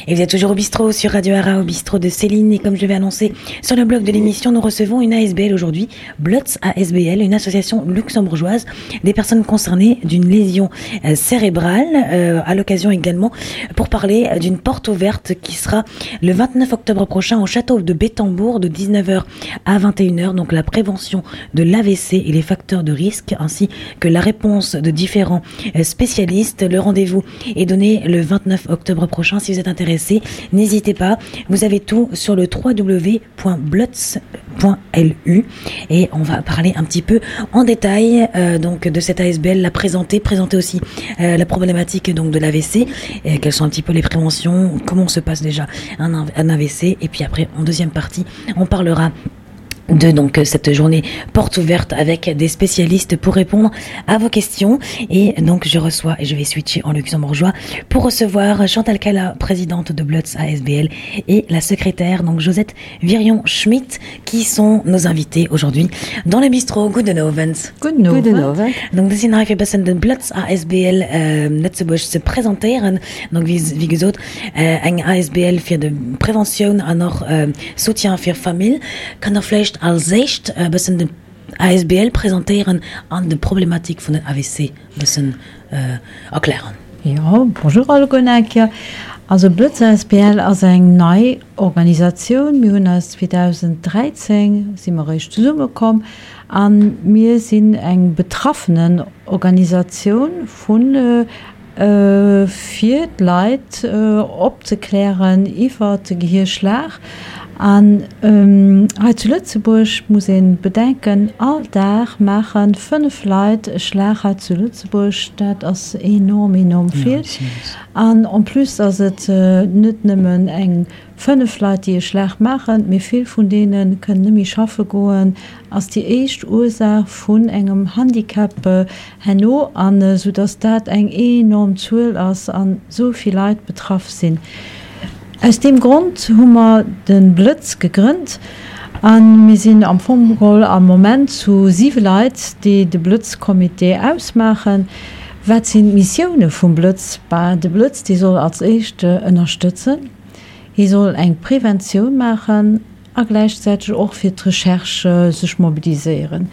Et vous êtes toujours au bistrot sur Radio Ara, au bistrot de Céline. Et comme je l'avais annoncé sur le blog de l'émission, nous recevons une ASBL aujourd'hui, Blotz ASBL, une association luxembourgeoise des personnes concernées d'une lésion euh, cérébrale, euh, à l'occasion également pour parler d'une porte ouverte qui sera le 29 octobre prochain au château de Bétambourg de 19h à 21h. Donc la prévention de l'AVC et les facteurs de risque ainsi que la réponse de différents euh, spécialistes. Le rendez-vous est donné le 29 octobre prochain. Si vous êtes intéressé, n'hésitez pas. Vous avez tout sur le www.blotz.lu et on va parler un petit peu en détail euh, donc de cette ASBL, la présenter, présenter aussi euh, la problématique donc de l'AVC, et quelles sont un petit peu les préventions, comment se passe déjà un, un AVC et puis après en deuxième partie, on parlera de donc cette journée porte ouverte avec des spécialistes pour répondre à vos questions et donc je reçois et je vais switcher en luxembourgeois pour recevoir Chantal Cala, présidente de Blutz ASBL et la secrétaire donc Josette Virion Schmidt qui sont nos invités aujourd'hui dans le bistrot Gudden Owend. Gudden Owend. Donc dës sinn hei fir bëssen den Blëtz asbl Lëtzebuerg ze presentéieren. Donc wéi wéi gesot eng asbl fir de Preventioun an och Soutien fir Famill. Kann der vläicht als éischt e bëssen de asbl presentéieren an de Problematik vun den AVC bëssen erklären? Jo, bonjour alleguer eng Kéier. Also Blëtz asbl ass eng nei Organisatioun. Mir hunn eis 2013 si mer eréischt zesummekomm A mir sinn eng Betraffenenorganisatioun vu fir d'Leit opzeklären iwwer de Gehierschlag. An hei zu Lëtzebuerg muss ee bedenken, all Dag maache 5 Leit e Schlag hei zu Lëtzebuerg. Dat ass enorm, enorm vill. An en plus ass et net nëmmen eng 5 Leit, déi e Schlag maachen, mee vill vun deene kënnen net méi schaffe goen, ass déi éischt Ursaach vun engem Handicap herno, an esou dass dat eng enorm Zuel ass an esou vill Leit betraff sinn. Aus deem Grond hu mer de Blëtz gegrënnt a mir sinn am Fong geholl am Moment zu 7 Leit, déi de Blëtz-Comité ausmaachen. Wat sinn d'Missioune vum Blëtz? Bah, de Blëtz, dee soll als éischt ënnerstëtzen. Hie soll eng Preventioun maachen a gläichzäiteg och fir d'Recherche sech mobiliséieren.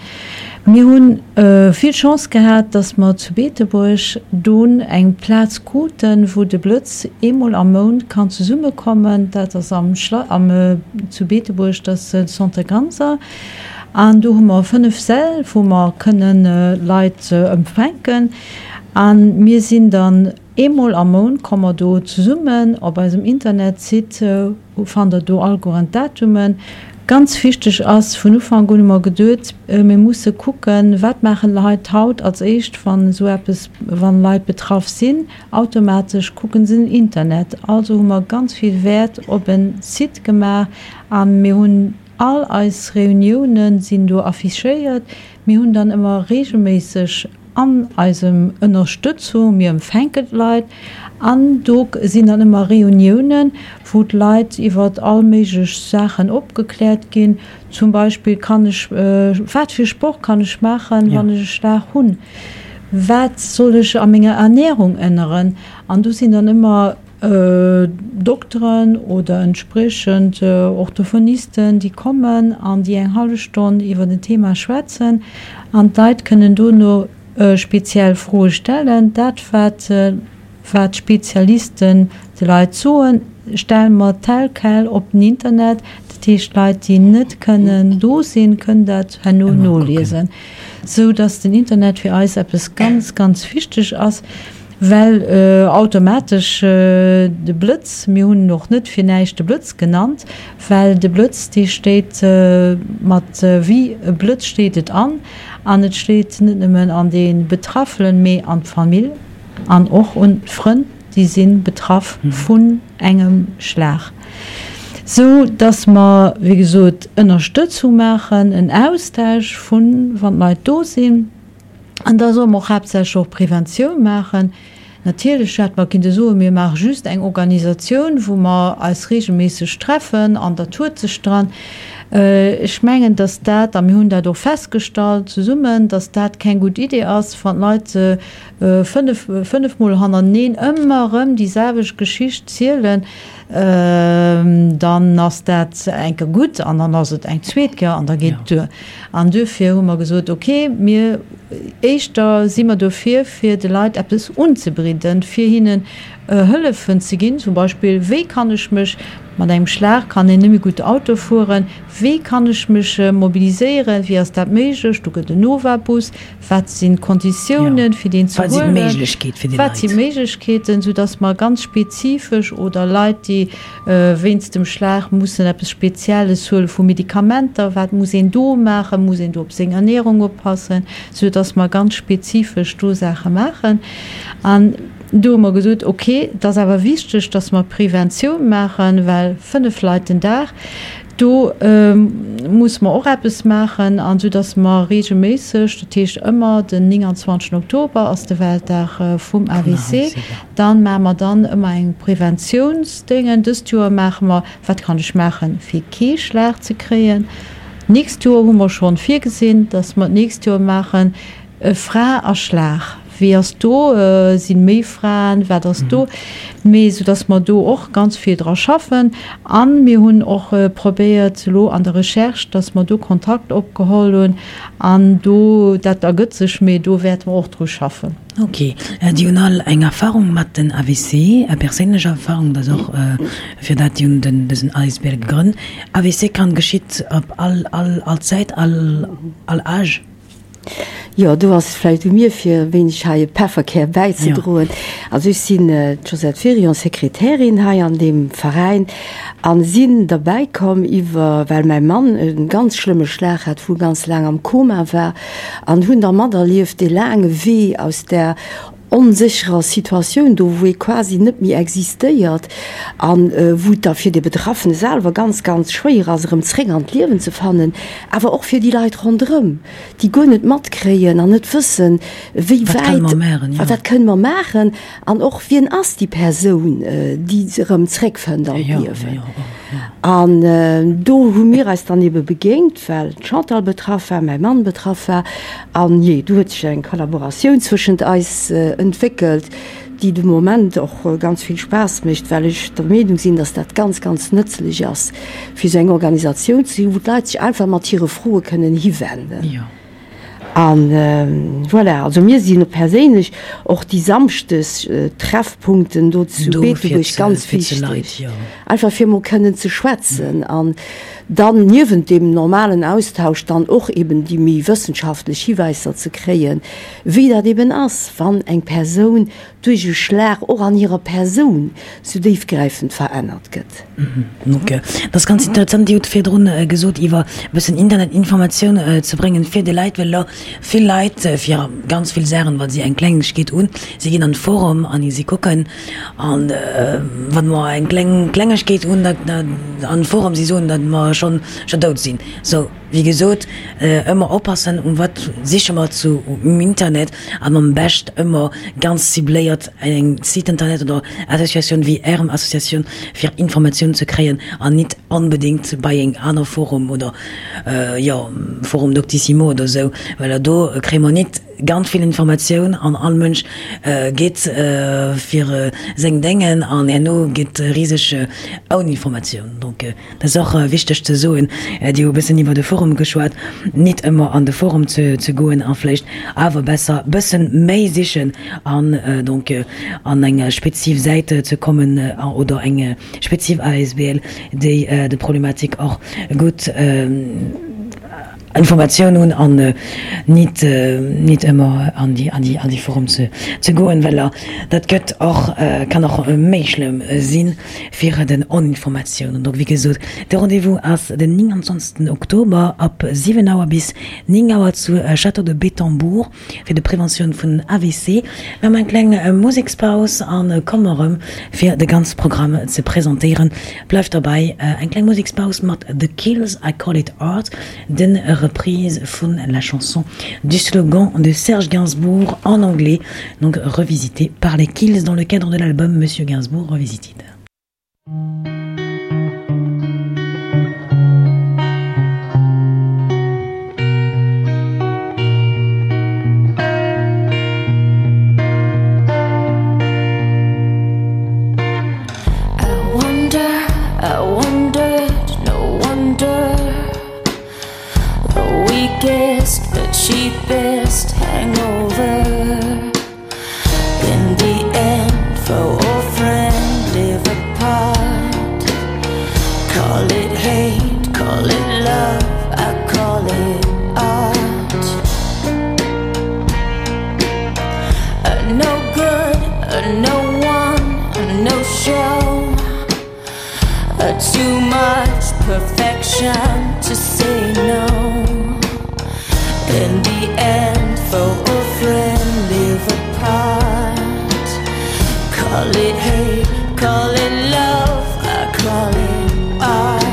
Mir hu vill Chance gehat, datt mer zu Beetebuerg dunn eng Plaz kruten, wou de Blëtz eemol am Mount kann zesummekommen. Dat ass am Schla am zu Beetebuerg, dat ass de Centre Ganser. An do hu mer 5 Säll, wou mer kënnen Leit empfänken. A mir sinn dann Eemol am Mount komme mer do zesummen. Op eisem Internetsite fannt der do allegueren d'Datumen. Ganz wichteg ass, vun Ufank un hu mer geduet, mir musse kucken, wat maachen d'Leit haut als éischt, wann esou eppes, wann Leit betraff sinn. Automatesch kucken se den Internet. Also hu mer ganz vill Wäert op e Site gemaach a mir hunn all eis Reunioune sinn do affichéiert. Mir hunn dann ëmmer reegelméisseg an eisem Ënnerstëtzung, mir empfänken d'Leit an do sinn dann ëmmer Reuniounen, wou d'Leit iwwer all méiglech Saachen opgekläert ginn. Zum Beispill, kann ech, wat fir Sport kann ech maachen, wann ech e Schlag hunn? Wat soll ech a menger Ernärung änneren? An do sinn dann ëmmer Dokteren oder entspriechend Orthophonisten, déi kommen an déi eng hallef Stonn iwwer en Thema schwätzen an d'Leit kënnen dono speziell Froe stellen. Dat, wat wat d'Spezialisten de Leit soen, stelle mer tel quel op den Internet. Dat heescht, Leit, déi net kënnen do sinn, kënnen dat herno noliesen, sou datt den Internet fir eis eppes ganz, ganz wichteg ass. Well automatesch de Blëtz, mir hunn en och net fir näischt de Blëtz genannt, well de Blëtz dee steet mat wéi e Blëtz steet et an, an et steet net nëmmen an dee Betraffenen, mee an d'Famill an och un d'Frënn, déi si betraff vun engem Schlag. Sou datt mer wéi gesot Ënnerstëtzung maachen, en Austausch vun, wann d'Leit do sinn. An da solle mer och haaptsächlech och Preventioun maachen. Natierlech hätte mer kinnte soen, mir maache just eng Organisatioun, wou mer eis regelméisseg treffen an dat huet sech dran. Ech mengen, dass dat, a mir hunn dat och festgestallt zesummen, dass dat keng gutt Idee ass, wann d'Leit fënnefmol hannerteneen ëmmer erëm déi selwecht Geschicht zielen, dann ass dat eng Kéier gutt an dann ass et eng zweet Kéier an da geet et duer. An duerfir hu mer gesot, okay, mir éischter si mer dofir, fir de Leit eppes unzebidden, fir hinnen Hëllefen ze ginn, zum Beispill, wéi kann ech mech, mat engem Schlag kann een net méi gutt Auto fueren, wéi kann ech mech mobiliséieren, wéi ass dat méiglech, do gëtt en Nova-Bus, wat sinn d'Konditiounen, fir deen ze huelen, wat sinn d'Méiglechkeeten, soudass mer ganz spezifesch oder Leit, déi wéinst dem Schlag mussen eppes Spezielles huele vu Medikamenter, wat muss een do maachen, muss een do op seng Ernährung oppassen, soudass mer ganz spezifesch do Saache maachen. An do hu mer gesot, okay, et ass awer wichteg, dass mer Preventioun maachen, well 5 Leit den Dag, do musse mer och eppes maachen. An soudass mer reegelméisseg, dat heescht ëmmer den 29 Oktober ass de Weltdag vum AVC, da maache mer dann ëmmer eng Preventiounsdéngen. Dëst Joer maache mer, wat kann ech maachen, fir kee Schlag ze kréien. D'nächst Joer hu mer schonn virgesinn, dass mer d'nächst Joer maachen, Fra a Schlag, wéi ass do, sinn méi Fraen, wat ass do? Mee sou dass mer do och ganz vill dra schaffen. A mir hunn och probéiert elo an der Recherche, dass mer do Kontakt opgeholl hunn an do, dat ergëtt sech, mee do wäerte mer och dru schaffen. Ok, Dir hunn all eng Erfahrung mat den AVC, perséinlech Erfahrung, dat ass och fir dat Dir hunn den dësen Asbl gegrënnt. AVC kann geschitt op all all all Zäit, all all Âge? Jo, do ass et vläicht u mir, fir e wéineg hei e Pefferkär bäizedroen. Also ech sinn d'Josette Wirion, Sekretärin hei an deem Veräin a sinn derbäi komm iwwer, well mäi Mann e ganz schlëmme Schlag hat, wou e ganz laang am Koma war an hunn da materlieft dee laange Wee aus där onsécherer Situatioun do, wou ee quasi net méi existéiert a wou et da fir de Betraffene selwer ganz, ganz schwéier ass, erëm zréck an d'Liewen ze fannen, awer och fir déi Leit ronderëm, déi guer net matkréien an net wëssen, wéi wäit, wat kënne mer maachen an och wien ass déi Persoun, déi erëm zréckfënnt an d'Liewen. An do hu mir eis dann ebe begéint, well d'Chantal betraff war, mäi Mann betraff war. An jee, do huet sech eng Kollaboratioun zwëschent eis entwéckelt, déi de Moment och ganz vill Spaass mécht, well ech der Meenung sinn, dass dat ganz, ganz nëtzlech ass, fir esou eng Organisatioun ze hunn, wou d'Leit sech einfach mat hire Froe kënnen hiwenden. An voilà, also mir sinn perséinlech och déi Samschdes Treffpunkten do zu Beetebuerg ganz wichteg, einfach fir emol kënnen ze schwätzen an dann niewent deem normalen Austausch dann och eben déi méi wëssenschaftlech Hiwäisser ze kréien, wéi dat eben ass, wann eng Persoun duerch e Schlag och an hirer Persoun sou déifgräifend verännert gëtt. Donc, dat ass ganz interessant. Dir hutt virdrun gesot, iwwer e bëssen Internetinformatioun ze bréngen fir déi Leit, well elo vill Leit fir ganz vill Saachen, wa si eng Klengegkeet hunn, si ginn an de Forum an si kucken an wa mer eng kleng Klengegkeet hunn, dat an de Forum, si soen, datt mer schonn dout sinn. Sou. Wéi gesot, ëmmer oppassen um wat siche mer zu um Internet an am bescht ëmmer ganz cibléiert eng Site Internet oder Associatioun wéi Ärem Associatioun fir Informatioun ze kréien an nit onbedéngt bei eng aner Forum oder jo Forum Doctissimo oder sou, well do kréie mer nit ganz vill Informatioun an all Mënsch geet fir seng Déngen an herno geet riseg Oninformatioun. Donc. Dat ass och wichteg ze soen. Dir hu e bëssen iwwer de Forum geschwat. Nit ëmmer an de Forum ze goen a vläicht awer besser bëssen méi sichen an donc an eng spezif Säit ze kommen oder eng spezif asbl, déi de Problematik och gutt Informatioun hunn an nit nit ëmmer an déi an déi an déi Forum ze ze goen, well dat gëtt och kann och méi schlëmm sinn fir den Oninformatioun. An donc wéi gesot, de Rendez-vous ass den 29 Oktober ab 7 Auer bis 9 Auer zu Château de Bettembourg. Fir de Preventioun vun AVC. Mir hu eng kleng Musekspaus an komme erëm fir de ganze Programm ze presentéieren. Bleift derbäi. Eng kleng Musekspaus mat The Kills, I Call It Art, den Reprise vun la chanson du slogan de Serge Gainsbourg en anglais, donc revisité par les Kills dans le cadre de l'album Monsieur Gainsbourg Revisited. weakest, the cheapest hangover. In the end, foe or friend live apart. Call it hate, call it love, I call it art. A no good, a no one, a no show. A too much perfection to say no. In the end, foe or friend live apart. Call it hate, call it love, I call it art.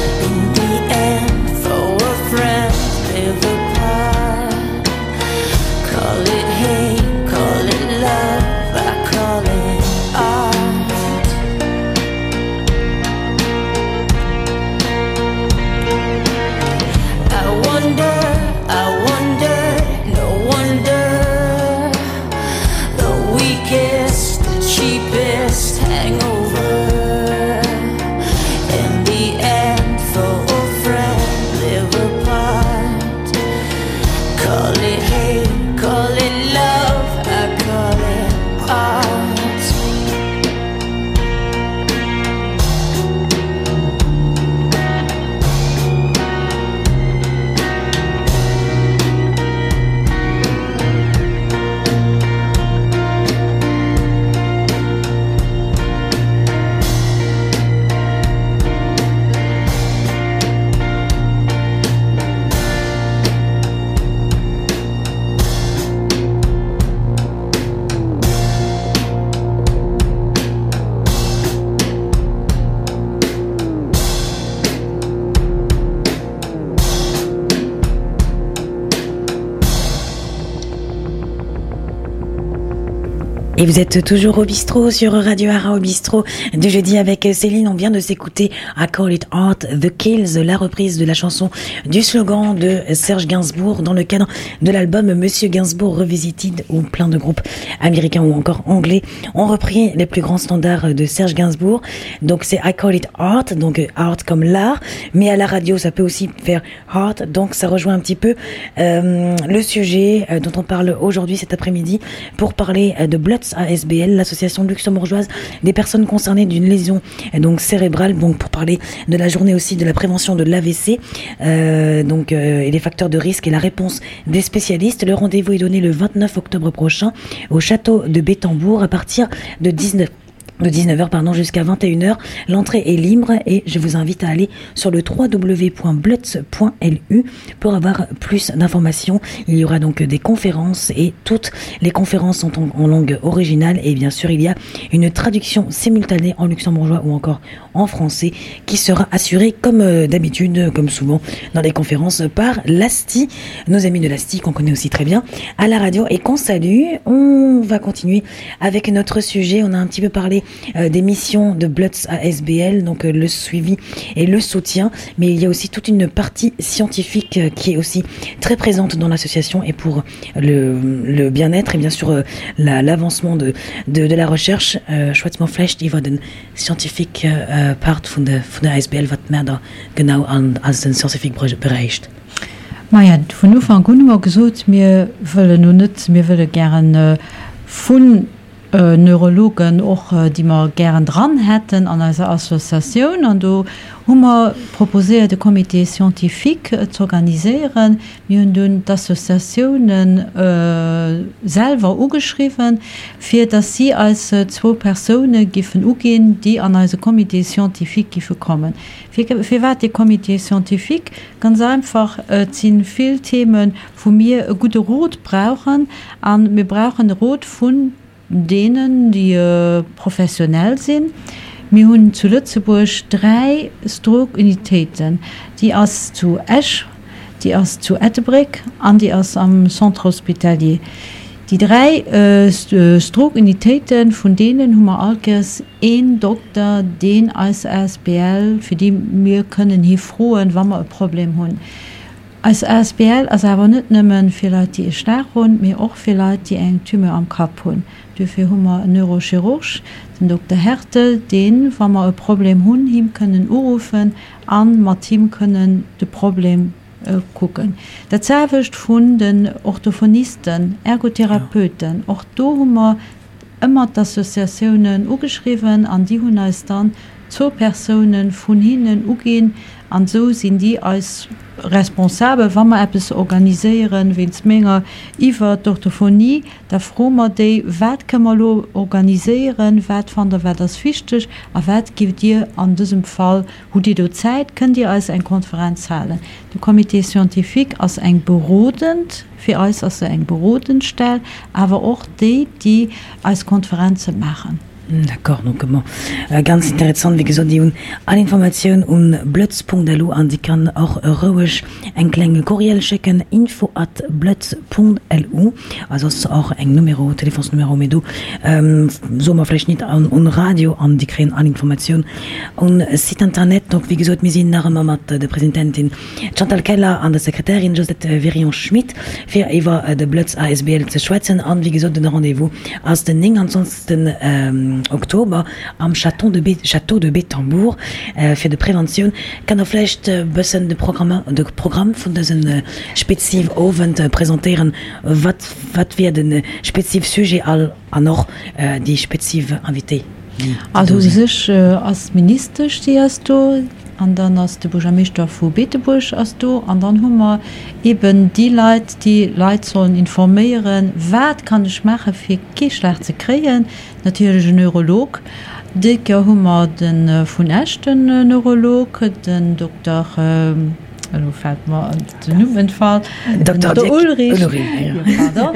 In the end, foe or friend live apart. Call it hate, call it love, I call it art. I wonder, I wonder, no wonder The weakest, the cheapest hangover In the end, foe or friend live apart Call it hate, call it love, I call it art. Et vous êtes toujours au bistrot sur Radio Ara au bistrot du jeudi avec Céline. On vient de s'écouter à Call It Art The Kills, la reprise de la chanson du slogan de Serge Gainsbourg dans le cadre de l'album Monsieur Gainsbourg Revisited où plein de groupes américains ou encore anglais ont repris les plus grands standards de Serge Gainsbourg. Donc c'est I Call It Art, donc art comme l'art, mais à la radio ça peut aussi faire art, donc ça rejoint un petit peu euh, le sujet euh, dont on parle aujourd'hui cet après-midi pour parler euh, de Bloods ASBL, l'association luxembourgeoise des personnes concernées d'une lésion donc cérébrale, donc pour parler de la journée aussi de la prévention de l'AVC euh, donc euh, et les facteurs de risque et la réponse des spécialistes. Le rendez-vous est donné le 29 octobre prochain au château de Bétambourg à partir de 19 de 19h pardon jusqu'à 21h l'entrée est libre et je vous invite à aller sur le www.blutz.lu pour avoir plus d'informations il y aura donc des conférences et toutes les conférences sont en, en langue originale et bien sûr il y a une traduction simultanée en luxembourgeois ou encore en français qui sera assurée comme euh, d'habitude comme souvent dans les conférences par l'asti nos amis de l'asti qu'on connaît aussi très bien à la radio et qu'on salue on va continuer avec notre sujet on a un petit peu parlé euh, des missions de Bloods à SBL, donc euh, le suivi et le soutien, mais il y a aussi toute une partie scientifique euh, qui est aussi très présente dans l'association et pour le, le bien-être et bien sûr euh, l'avancement la, de, de, de la recherche euh, chouettement flecht iwwer den scientifique äh, Part vun de, vun der ASBL wat mer da genau an als den scientifique bereicht. Maja, vun Ufank un hu mer gesot, mir wëllen no net, mir wëlle gären äh, vun Neurologen och, déi mer gären dran hätten an eiser Associatioun. An do hu mer proposéiert, e Comité scientifique z'organiséieren. Mir hunn dunn d'Associatiounen selwer ugeschriwwen, fir datt si eis zwou Persoune giffen uginn, déi an eise Comité scientifique giffe kommen. Firwat dee Comité scientifique? Ganz einfach, et si vill Themen, wou mir e gudde Rot brauchen. A mir brauchen e Rot vun deenen, déi professionell sinn. Mir hunn zu Lëtzebuerg 3 Stroke-Unitéiten. Déi ass zu Esch, déi ass zu Ettelbréck an déi ass am Centre hospitalier. Déi 3 Stroke-Unitéiten, vun deenen hu mer allkéiers een Dokter, deen eis asbl, fir déi mir kënnen hi froen, wa mer e Problem hunn. Eis asbl ass awer net nëmme fir Leit, déi e Schlag hunn, mee och fir Leit, déi eng Tumeur am Kapp hunn. Duerfir hu mer en Neurochirurg, den Dokter Hertel, deen, wa mer e Problem hunn, him kënnen uruffen a mat him kënnen de Problem kucken. Dat selwecht vun den Orthophonisten, Ergotherapeuten, och do hu mer ëmmer d'Associatiounen ugeschriwwen an déi hunn eis dann zwou Persoune vun hinnen uginn an esou sinn déi eis Responsabel. Wa mer eppes organiséieren, wéinst menger iwwer d'Orthophonie, da froe mer déi, wat kënne mer elo organiséieren, wat fannt der, wat ass wichteg a wat giff Dir an dësem Fall, hutt Dir do Zäit, kënnt Dir eis eng Konferenz halen. De Comité scientifique ass eng berodend. Fir eis ass se eng berodend Stell, awer och déi, déi eis Konferenze maachen. D'accord, donc bon, ganz interessant, wéi gesot, déi hunn all Informatioun un blëtz.lu an déi kann och roueg eng kleng Courriel schécken, info at blëtz.lu a soss och eng Numéro, Telefonsnuméro, mee do soe mer vläicht nit an un Radio an déi kréien all Informatioun un Site internet. Donc wéi gesot, mir sinn nach ëmmer mat der Presidentin D'Chantal Keller an der Sekretärin Josette Wirion-Schmit fir iwwer de Blëtz asbl ze schwätzen. An wéi gesot, den Rendez-vous ass den 29 Oktober am Château de Château de Bettembourg fir de Preventioun. Kann der vläicht e bëssen de Programm de Programm vun dësem spezive Owend presentéieren? Wat wat wier de spezive Sujet all an och déi spezive Invité? Also u sech ass d'Ministesch, déi ass do, an dann ass de Buergermeeschter vu Beetebuerg ass do, an dann hu mer eeben déi Leit, déi Leit sollen informéieren, wat kann ech maache fir kee Schlag ze kréien, natierlech en Neurolog. Déi Kéier hu mer de vun Esch, den Neurolog, den Dokter, elo fält mer den Numm entfall, den Dokter Ulrich, jo pardon,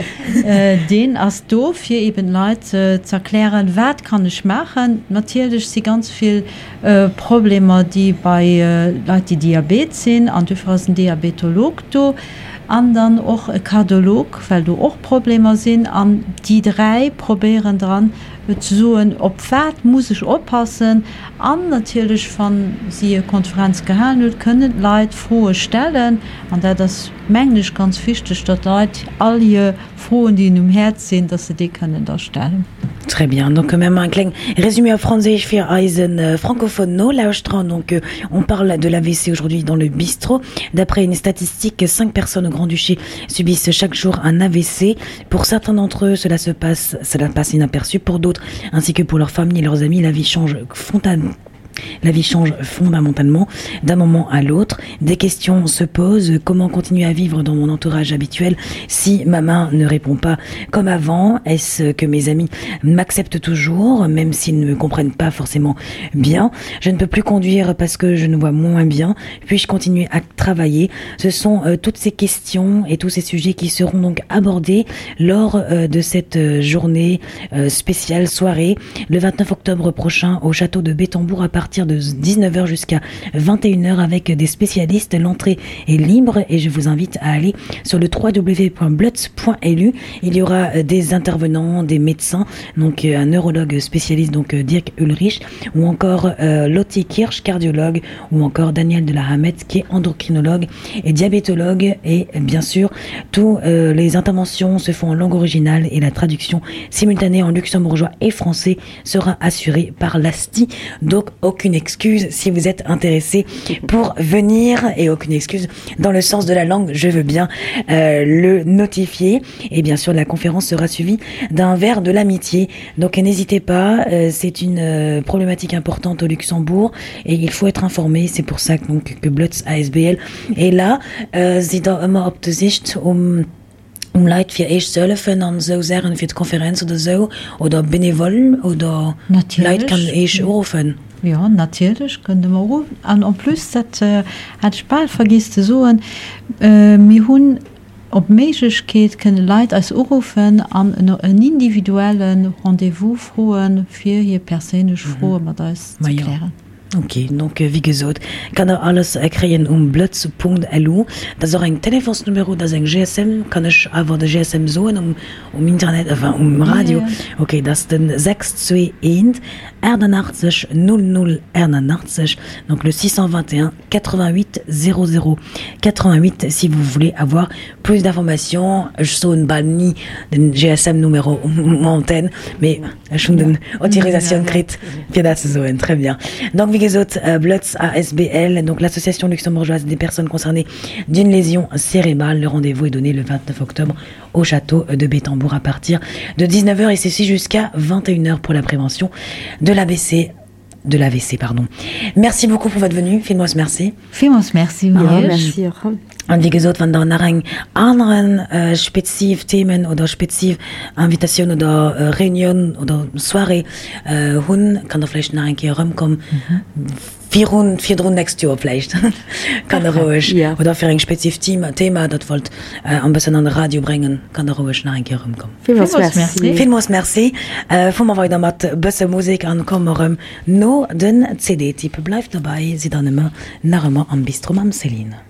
deen ass do fir eben d'Leit z'erklären, wat kann ech maachen. Natierlech si ganz vill Problemer déi bei Leit déi Diabet sinn, an dofir ass en Diabetolog do an dann och e Kardiolog, well do och Problemer sinn. An déi 3 probéieren dran ze soen, op wat muss ech oppassen. An natierlech, wa si e Konferenz gehalen huet, kënnen d'Leit Froe stellen. An dat ass, mengen ech, ganz wichteg, datt d'Leit all hir Froen, déi hinnen um Häerz sinn, datt se déi kënnen da stellen. Très bien. Donc même un kleng Résumé op Franséisch fir eise francophone Nolauschterer. Donc on parle de l'AVC aujourd'hui dans le bistrot. D'après une statistique, 5 personnes au Grand-Duché subissent chaque jour un AVC. Pour certains d'entre eux, cela se passe, cela passe inaperçu. Pour d'autres, ainsi que pour leur famille et leurs amis, la vie change frontalement. La vie change fondamentalement d'un moment à l'autre. Des questions se posent. Comment continuer à vivre dans mon entourage habituel si ma main ne répond pas comme avant? Est-ce que mes amis m'acceptent toujours, même s'ils ne me comprennent pas forcément bien? Je ne peux plus conduire parce que je ne vois moins bien. Puis-je continuer à travailler? Ce sont euh, toutes ces questions et tous ces sujets qui seront donc abordés lors euh, de cette euh, journée euh, spéciale soirée le 29 octobre prochain au château de Bétambourg à partir de 19h jusqu'à 21h avec des spécialistes. L'entrée est libre et je vous invite à aller sur le www.blutz.lu. Il y aura euh, des intervenants, des médecins, donc euh, un neurologue spécialiste donc euh, Dirk Ulrich ou encore euh, Lottie Kirsch, cardiologue ou encore Daniel de la Hamette qui est endocrinologue et diabétologue et bien sûr tous euh, les interventions se font en langue originale et la traduction simultanée en luxembourgeois et français sera assurée par l'ASTI. Donc aucune excuse si vous êtes intéressé pour venir et aucune excuse dans le sens de la langue, je veux bien euh, le notifier. Et bien sûr la conférence sera suivie d'un verre de l'amitié. Donc n'hésitez pas, euh, c'est une euh, problématique importante au Luxembourg et il faut être informé. C'est pour ça que, donc, que Blutz ASBL est là. Euh, sidd der ëmmer op de Sicht um um Leit fir Iech ze hëllefen an esou Saachen, fir d'Konferenz oder esou, oder bénévole oder Leit kann Iech uruffen? Jo, natierlech kënnt Der mer uruffen. An en plus, dat hat ech bal vergiess ze soen, mir hunn. Op Méiglechkeet kënne Leit eis uruffen an en individuelle Rendez-vous froen, fir hir perséinlech Froe mat eis ze klären. Ok, donc wéi gesot, kann der alles kréien um blëtz.lu. Dat ass och eng Telefonsnumero, dat ass eng GSM. Kann ech awer de GSM soen um um Internet, enfin um Radio? Ok, dat ass den 621 88 00 81, donc le 621 88 00 88 si vous voulez avoir plus d'informations. Ech soen bal ni den GSM-Numéro um Antenne, mee ech hunn den Autorisatioun kritt fir dat ze soen. Très bien. Donc wéi gesot, Blëtz asbl, donc l'association luxembourgeoise des personnes concernées d'une lésion cérébrale. Le rendez-vous est donné le 29 octobre au château de Bettembourg à partir de 19 heures et ceci jusqu'à 21 heures pour la prévention de l'ABC de l'AVC pardon. Merci beaucoup pour votre venue, villmools merci. Villmools merci un Ja, merci och. An wéi gesot, wann der nach eng aneren speziv Themen oder speziv Invitatioun oder Reunioun oder Soirée hunn, kann der vläicht nach eng Kéier erëmkommen. Virun, virdrun nächst Joer vläicht. Kann der roueg, oder fir eng speziv Thema, Thema dat wollt en bëssen an de Radio bréngen, kann der roueg nach eng Kéier erëmkommen. Villmools Merci. Villmools Merci. Fuere mer weider mat bësse Musek an komme erëm no den CD-Tipp. Bleift dobäi, sidd dann ëmmer nach ëmmer am Bistro mam Céline.